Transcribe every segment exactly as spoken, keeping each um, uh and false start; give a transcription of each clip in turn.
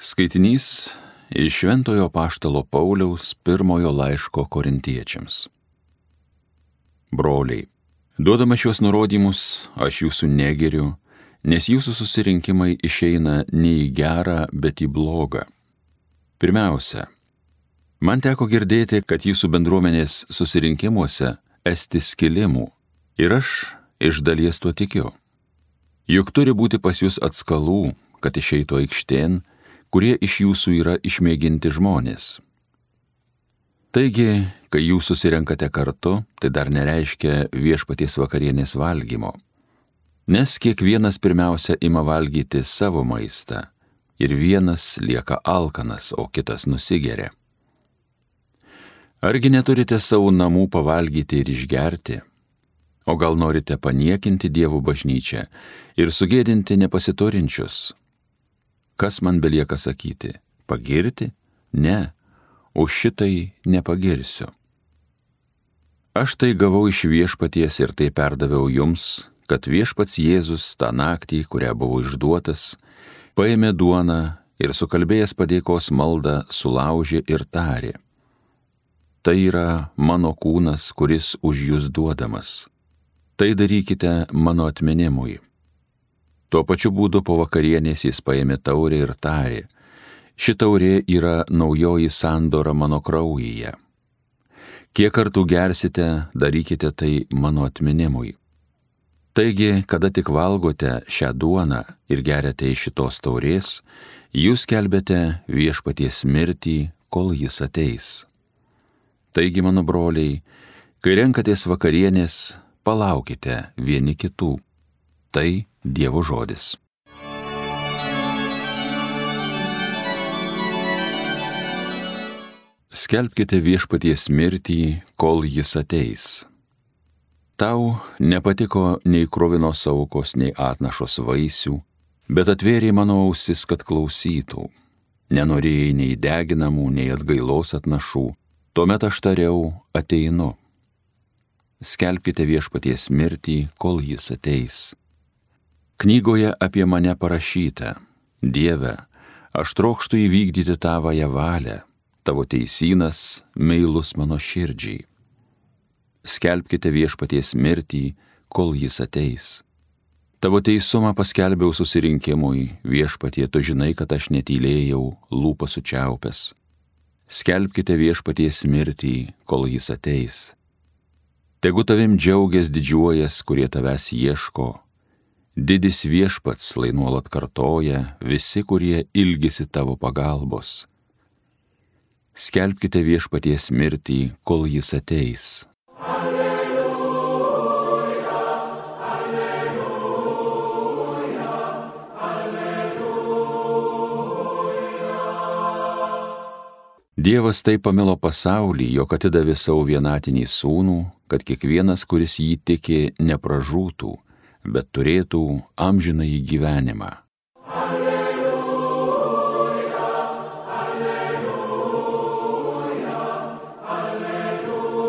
Skaitinys iš Šventojo Apaštalo Pauliaus pirmojo laiško Korintiečiams. Broliai, duodama šios nurodymus, aš jūsų negeriu, nes jūsų susirinkimai išeina ne į gerą, bet į blogą. Pirmiausia, man teko girdėti, kad jūsų bendruomenės susirinkimuose esti skilimų, ir aš iš dalies tuo tikiu. Juk turi būti pas jūs atskalų, kad išeitų aikštėn, kurie iš jūsų yra išmėginti žmonės. Taigi, kai jūs susirenkate kartu, tai dar nereiškia viešpaties vakarienės valgymo, nes kiekvienas pirmiausia ima valgyti savo maistą ir vienas lieka alkanas, o kitas nusigeria. Argi neturite savo namų pavalgyti ir išgerti? O gal norite paniekinti Dievo bažnyčią ir sugėdinti nepasiturinčius? Kas man belieka sakyti? Pagirti? Ne, už šitai nepagirsiu. Aš tai gavau iš viešpaties ir tai perdaviau jums, kad viešpats Jėzus tą naktį, kurią buvo išduotas, paėmė duoną ir sukalbėjęs padėkos maldą sulaužė ir tarė: Tai yra mano kūnas, kuris už jūs duodamas. Tai darykite mano atminimui. Tuo pačiu būdu po vakarienės jis paėmė taurę ir tarė: Ši taurė yra naujoji sandora mano kraujyje. Kiek kartų gersite, darykite tai mano atminimui. Taigi, kada tik valgote šią duoną ir geriate iš šitos taurės, jūs skelbiate viešpaties mirtį, kol jis ateis. Taigi, mano broliai, kai renkatės vakarienės, palaukite vieni kitų. Tai Dievo žodis. Skelbkite viešpaties mirtį, kol jis ateis. Tau nepatiko nei kruvinos aukos, nei atnašos vaisių, bet atvėrė mano ausis, kad klausytų. Nenorėjai nei deginamų, nei atgailos atnašų, tuomet aš tariau: ateinu. Skelbkite viešpaties mirtį, kol jis ateis. Knygoje apie mane parašyta: Dieve, aš trokštu įvykdyti tavąją valią, tavo teisynas meilus mano širdžiai. Skelbkite viešpaties mirtį, kol jis ateis. Tavo teisumą paskelbiau susirinkimui, viešpatie, tu žinai, kad aš netylėjau, lūpą sučiaupęs. Skelbkite viešpaties mirtį, kol jis ateis. Tegu tavim džiaugias didžiuojas, kurie tavęs ieško. Didis viešpats lai nuolat kartoja visi, kurie ilgisi tavo pagalbos. Skelbkite viešpaties mirtį, kol jis ateis. Alleluja, alleluja, alleluja. Dievas taip pamilo pasaulį, jog atidavė savo vienatinį sūnų, kad kiekvienas, kuris jį tiki, nepražūtų, bet turėtų amžinąjį gyvenimą. Alleluja, alleluja, alleluja.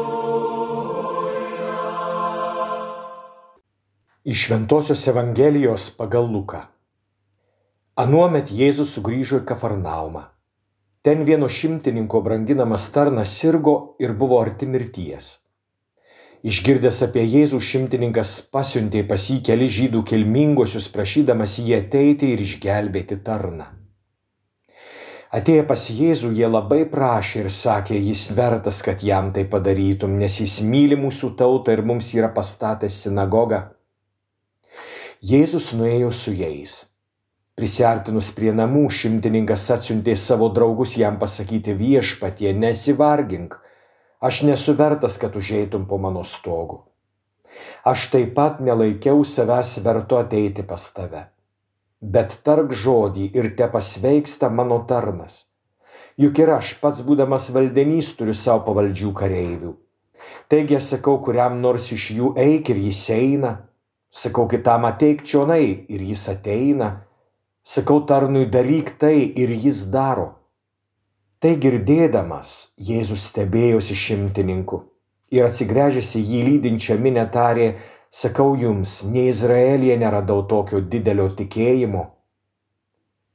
Iš Šventosios Evangelijos pagal Luką. Anuomet Jėzus sugrįžo į Kafarnaumą. Ten vieno šimtininko branginamas tarnas sirgo ir buvo arti mirties. Išgirdęs apie Jėzų, šimtininkas pasiuntė pas jį keli žydų kilmingosius, prašydamas jį ateiti ir išgelbėti tarną. Atėję pas Jėzų, jie labai prašė ir sakė: Jis vertas, kad jam tai padarytum, nes jis myli mūsų tautą ir mums yra pastatęs sinagogą. Jėzus nuėjo su jais. Prisiartinus prie namų, šimtininkas atsiuntė savo draugus jam pasakyti: Viešpatie, nesivargink. Aš nesu vertas, kad užeitum po mano stogu. Aš taip pat nelaikiau savęs vertu ateiti pas tave. Bet tark žodį ir te pasveiksta mano tarnas. Juk ir aš pats, būdamas valdenys, turiu savo pavaldžių kareivių. Taigi aš sakau kuriam nors iš jų: eik, ir jis eina. Sakau kitam: ateik čionai, ir jis ateina. Sakau tarnui: daryk tai, ir jis daro. Tai girdėdamas, Jėzus stebėjosi šimtininku ir atsigręžęs į jį lydinčią minią tarė: sakau jums, nei Izraelyje neradau tokio didelio tikėjimo.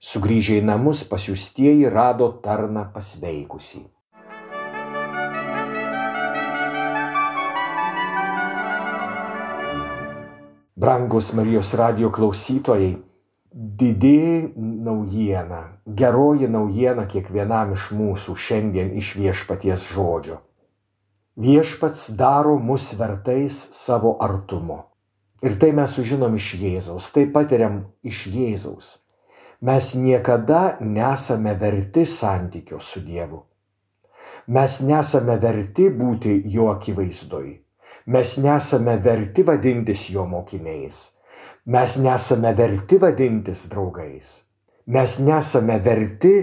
Sugrįžę į namus pasiųstieji rado tarną pasveikusį. Brangus Marijos radijo klausytojai, didi naujiena, geroji naujiena kiekvienam iš mūsų šiandien iš Viešpaties žodžio. Viešpats daro mus vertais savo artumo. Ir tai mes sužinom iš Jėzaus, tai patiriam iš Jėzaus. Mes niekada nesame verti santykio su Dievu. Mes nesame verti būti jo akivaizdoj. Mes nesame verti vadintis jo mokiniais. Mes nesame verti vadintis draugais. Mes nesame verti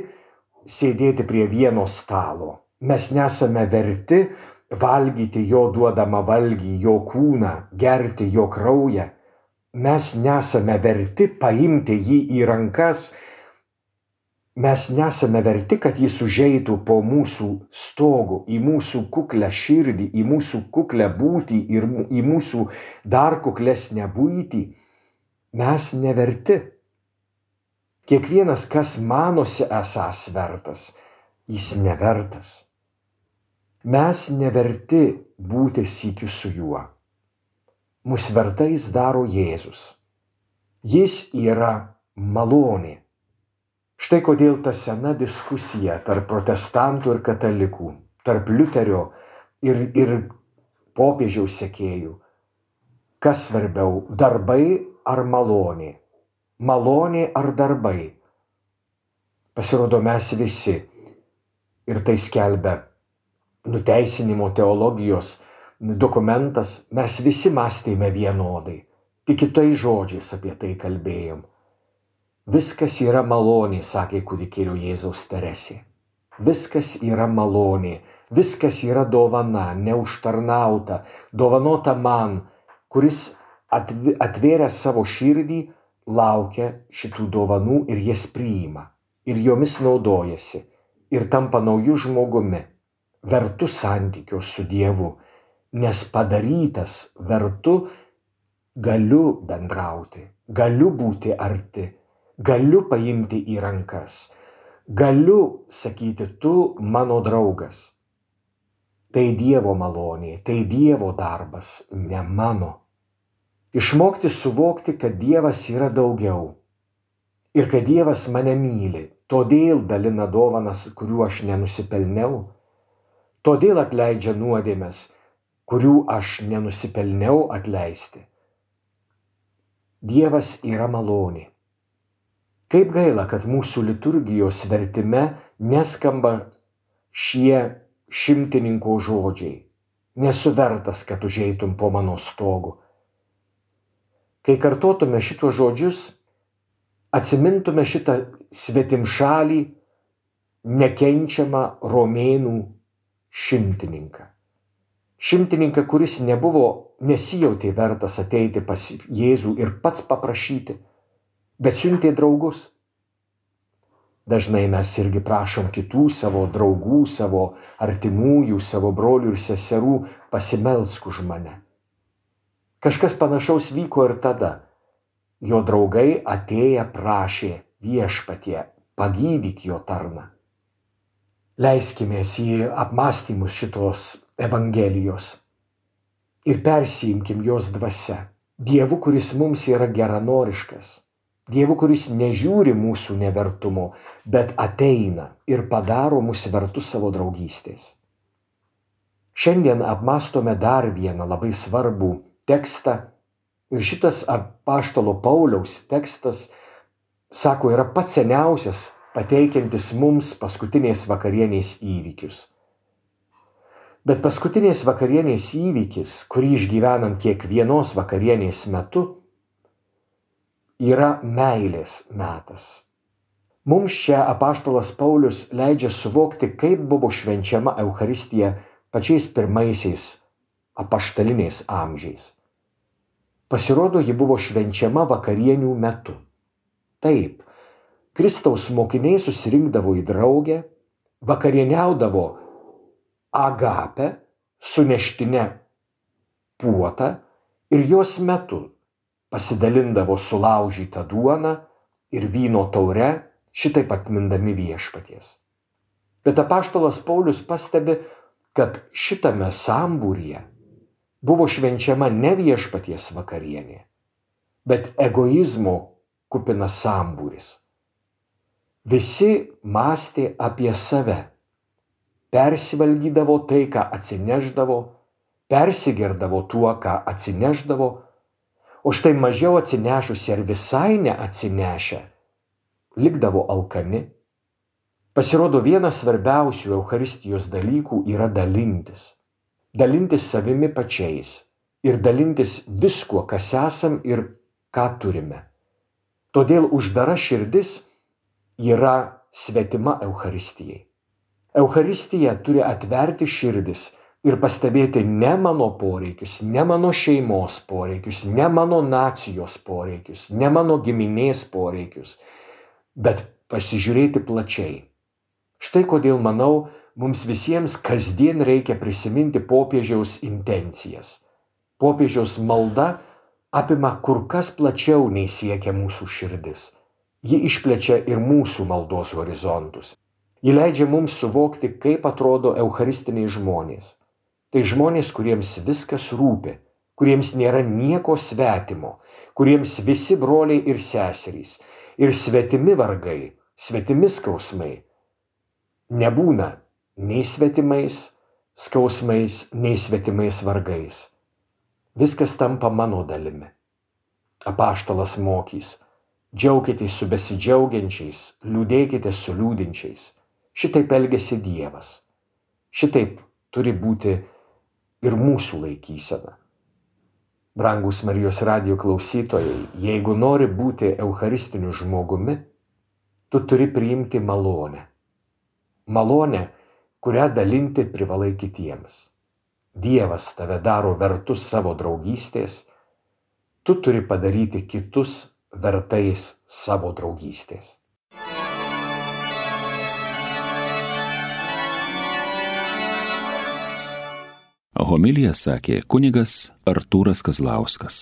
sėdėti prie vieno stalo. Mes nesame verti valgyti jo duodamą valgį, jo kūną, gerti jo kraują. Mes nesame verti paimti jį į rankas. Mes nesame verti, kad jis užeitų po mūsų stogų, į mūsų kuklę širdį, į mūsų kuklę būtį ir į mūsų dar kuklesnę būtį. Mes neverti. Kiekvienas, kas manosi esąs vertas, jis nevertas. Mes neverti būti sykiu su juo. Mus vertais daro Jėzus. Jis yra malonė. Štai kodėl ta sena diskusija tarp protestantų ir katalikų, tarp Liuterio ir, ir popiežiaus sekėjų. Kas svarbiau, darbai ar malonė? Malonė ar darbai? Pasirodo, mes visi, ir tai skelbia nuteisinimo teologijos dokumentas, mes visi mąstėme vienodai, tik kitais žodžiais apie tai kalbėjom. Viskas yra malonė, sakė kūdikėlio Jėzaus Teresė. Viskas yra malonė, viskas yra dovana, neužtarnauta, dovanota man, kuris atvėręs savo širdį laukia šitų dovanų ir jas priima, ir jomis naudojasi, ir tampa naujų žmogumi, vertu santykio su Dievu, nes padarytas vertu galiu bendrauti, galiu būti arti, galiu paimti į rankas, galiu sakyti, tu mano draugas. Tai Dievo malonė, tai Dievo darbas, ne mano. Išmokti suvokti, kad Dievas yra daugiau ir kad Dievas mane myli, todėl dalina dovanas, kurių aš nenusipelniau, todėl atleidžia nuodėmes, kurių aš nenusipelniau atleisti. Dievas yra malonė. Kaip gaila, kad mūsų liturgijos vertime neskamba šie šimtininko žodžiai. Nesu vertas, kad užeitum po mano stogu. Kai kartotume šitos žodžius, atsimintume šitą svetimšalį, nekenčiamą romėnų šimtininką. Šimtininką, kuris nebuvo, nesijautė vertas ateiti pas Jėzų ir pats paprašyti, bet siuntė draugus. Dažnai mes irgi prašom kitų savo draugų, savo artimųjų, savo brolių ir seserų, pasimelsk už mane. Kažkas panašaus vyko ir tada. Jo draugai atėję prašė Viešpatie, pagydyk jo tarną. Leiskimės į apmąstymus šitos Evangelijos ir persiimkim jos dvasia. Dievu, kuris mums yra geranoriškas. Dievu, kuris nežiūri mūsų nevertumo, bet ateina ir padaro mus vertus savo draugystės. Šiandien apmąstome dar vieną labai svarbų tekstą ir šitas apaštalo Pauliaus tekstas, sako, yra pats seniausias, pateikiantis mums paskutinės vakarienės įvykius. Bet paskutinės vakarienės įvykis, kurį išgyvenam kiekvienos vakarienės metu, yra meilės metas. Mums čia apaštalas Paulius leidžia suvokti, kaip buvo švenčiama Eucharistija pačiais pirmaisiais apaštaliniais amžiais. Pasirodo, ji buvo švenčiama vakarienių metu. Taip, Kristaus mokiniai susirinkdavo į draugę, vakarieniaudavo agape su neštine puota ir jos metu pasidalindavo sulaužytą duoną ir vyno taure šitaip atmindami viešpaties. Bet apaštalas Paulius pastebi, kad šitame sambūryje buvo švenčiama ne viešpaties vakarienė, bet egoizmo kupinas sambūris. Visi mąstė apie save, persivalgydavo tai, ką atsineždavo, persigerdavo tuo, ką atsineždavo, o štai mažiau atsinešusi ar visai neatsinešę likdavo alkani. Pasirodo, vienas svarbiausių Eucharistijos dalykų yra dalintis. Dalintis savimi pačiais ir dalintis viskuo, kas esam ir ką turime. Todėl uždara širdis yra svetima Eucharistijai. Eucharistija turi atverti širdis ir pastebėti ne mano poreikius, ne mano šeimos poreikius, ne mano nacijos poreikius, ne mano giminės poreikius, bet pasižiūrėti plačiai. Štai kodėl, manau, mums visiems kasdien reikia prisiminti popiežiaus intencijas. Popiežiaus malda apima kur kas plačiau nei siekia mūsų širdis. Ji išplečia ir mūsų maldos horizontus. Ji leidžia mums suvokti, kaip atrodo eucharistiniai žmonės. Tai žmonės, kuriems viskas rūpi, kuriems nėra nieko svetimo, kuriems visi broliai ir seserys, ir svetimi vargai, svetimi skausmai nebūna nei svetimais skausmais, nei svetimais vargais. Viskas tampa mano dalimi. Apaštalas mokys: džiaukitės su besidžiaugiančiais, liūdėkite su liūdinčiais. Šitaip elgiasi Dievas. Šitaip turi būti ir mūsų laikysena. Brangūs Marijos radijo klausytojai, jeigu nori būti eucharistiniu žmogumi, tu turi priimti malonę. Malonę, kurią dalinti privalai kitiems. Dievas tave daro vertus savo draugystės, tu turi padaryti kitus vertais savo draugystės. Homiliją sakė kunigas Artūras Kazlauskas.